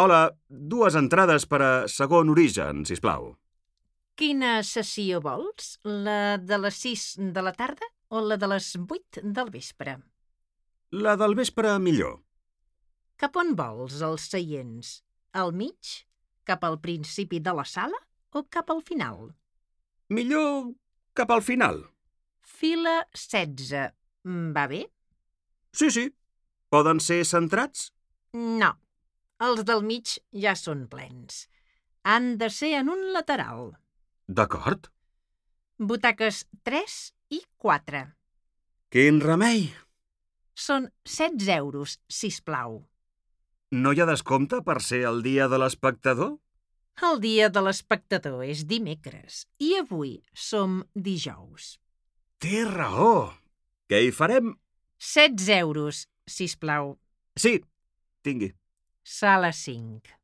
Hola, 2 entrades per a Segon Origen, sisplau. Quina sessió vols? La de les 6 de la tarda o la de les 8 del vespre? La del vespre millor. Cap on vols els seients? Al mig? Cap al principi de la sala o cap al final? Millor cap al final. Fila 16. Va bé? Sí. Poden ser centrats? No. Els del mig ja són plens. Han de ser en un lateral. D'acord. Butaques 3 i 4. Quin remei! Són 16 euros, sisplau. No hi ha descompte per ser el dia de l'espectador? El dia de l'espectador és dimecres i avui som dijous. Té raó. Què hi farem? 16 euros, sisplau. Sí, tingui. Sala 5.